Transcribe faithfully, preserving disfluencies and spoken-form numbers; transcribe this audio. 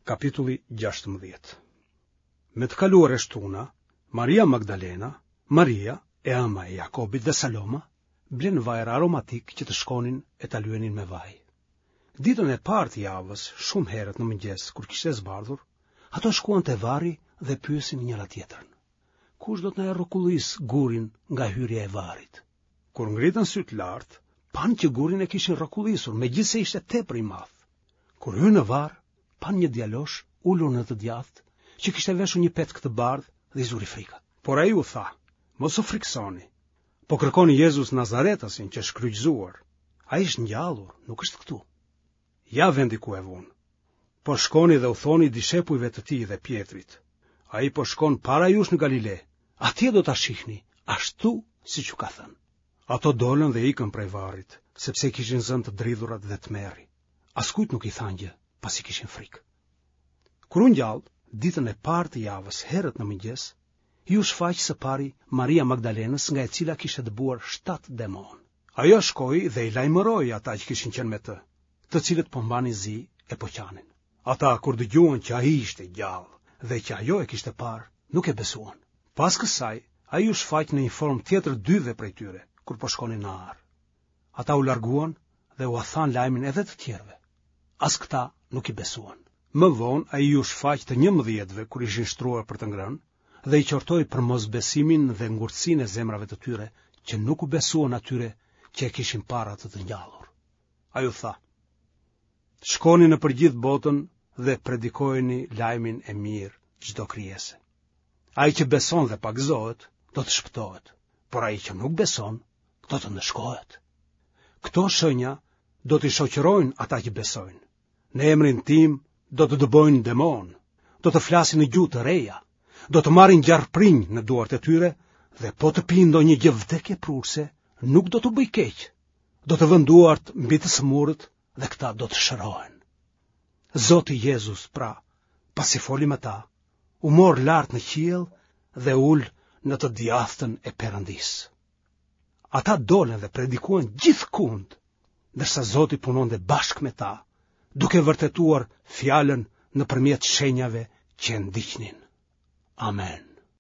Kapitulli gjashtëmbëdhjetë. Me të kaluar e shtuna, Maria Magdalena, Maria, e ëma e Jakobit dhe Saloma, blenë vajra aromatikë që të shkonin e ta lyenin me vaj. Ditën e parë të javës, shumë herët në mëngjes, kur kishte zbardhur, ato shkuan te varri dhe pyesin njëra-tjetrën. Kush do të na e rrokullisë gurin nga hyrja e varrit? Kur ngritën sytë lart, panë që gurin e kishin rrokullisur, megjithëse ishte tepër i madh. Kur hynë në varr, panë një djalosh ulur në të djathtë, që kishte veshur një petk të bardhë dhe i zuri frika. Por ai u tha, mos u frikësoni. Po kërkoni Jezus Nazaretasin që është kryqëzuar. Ai është ngjallur, nuk është këtu. Ja vendi ku e vunë. Por shkoni dhe u thoni dishepujve të tij dhe Pjetrit. Ai po shkon para jush në Galile. Atje do ta shihni, ashtu siç ju ka thënë. Ato dolën dhe ikën prej varrit, sepse i kishin zënë të dridhurat dhe tmerri. Askujt nuk i thanë gjë, pasi kishin frikë. Kur u ngjall, ditën e parë të javës, herët në mëngjes, iu shfaq së pari Maria Magdalenës nga e cila kishte dëbuar shtatë demonë. Ajo shkoi dhe i lajmëroi ata që kishin qenë me të, të cilët po mbanin zi e po qanin. Ata kur dëgjuan që ai ishte gjallë dhe që ajo e kishte parë, nuk e besuan. Pas kësaj, ai iu shfaq në një formë tjetër dyve prej tyre, kur po shkonin në arë. Ata u larguan dhe ua thanë lajmin edhe të tjerëve. As këta nuk i besuan. Më vonë ai iu shfaq të njëmbëdhjetëve kur ishin shtruar për të ngrënë dhe i qortoi për mosbesimin dhe ngurtësinë e zemrave të tyre që nuk u besuan atyre që e kishin parë atë të ngjallur. Ai u tha: Shkoni nëpër gjithë botën dhe predikojeni lajmin e mirë çdo krijese. Ai që beson dhe pagëzohet, do të shpëtohet, por ai që nuk beson, do të ndëshkohet. Këto shenja do t'i shoqërojnë ata që besojnë. Në emrin tim do të dëbojnë demonë, do të flasin në gjuhë të reja, do të marrin gjarprinj në duart e tyre dhe po të pinë ndonjë gjë vdekjeprurëse, nuk do t'u bëjë keq. Do të vënë duart mbi të sëmurët dhe këta do të shërohen. Zoti Jezus, pra, pasi foli me ta, u mor lart në qiell dhe u ul në të djathtën e Perëndisë. Ata dolën dhe predikuan gjithkund, ndërsa Zoti punonte bashkë me ta, duke vërtetuar fjalën nëpërmjet shenjave që e ndiqnin. Amen.